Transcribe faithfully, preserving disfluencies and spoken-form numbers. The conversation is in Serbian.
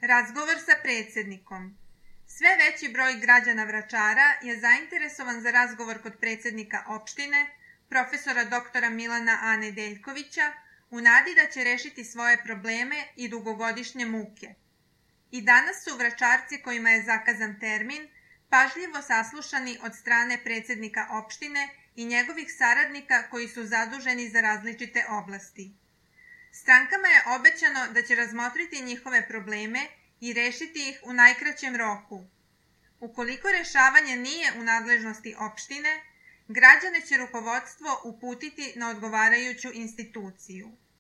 Razgovor sa predsednikom. Sve veći broj građana Vračara je zainteresovan za razgovor kod predsednika opštine, profesora doktora Milana A. Nedeljkovića, u nadi da će rešiti svoje probleme i dugogodišnje muke. I danas su Vračarci kojima je zakazan termin pažljivo saslušani od strane predsednika opštine i njegovih saradnika koji su zaduženi za različite oblasti. Strankama je obećano da će razmotriti njihove probleme i rešiti ih u najkraćem roku. Ukoliko rešavanje nije u nadležnosti opštine, građane će rukovodstvo uputiti na odgovarajuću instituciju.